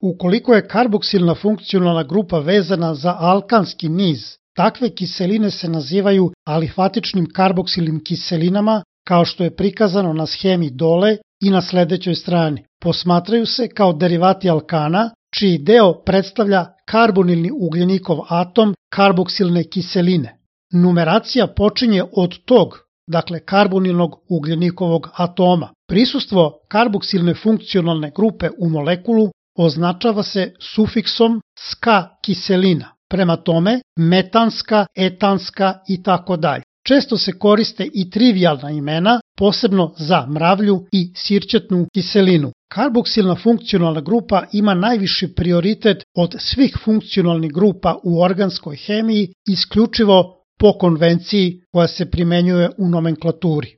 Ukoliko je karboksilna funkcionalna grupa vezana za alkanski niz, takve kiseline se nazivaju alifatičnim karboksilnim kiselinama, kao što je prikazano na shemi dole i na sledećoj strani. Posmatraju se kao derivati alkana, čiji deo predstavlja karbonilni ugljenikov atom karboksilne kiseline. Numeracija počinje od tog, dakle karbonilnog ugljenikovog atoma. Prisustvo karboksilne funkcionalne grupe u molekulu označava se sufiksom ska kiselina. Prema tome, metanska, etanska i tako dalje. Često se koriste i trivijalna imena, posebno za mravlju i sirćetnu kiselinu. Karboksilna funkcionalna grupa ima najviši prioritet od svih funkcionalnih grupa u organskoj hemiji, isključivo po konvenciji koja se primenjuje u nomenklaturi.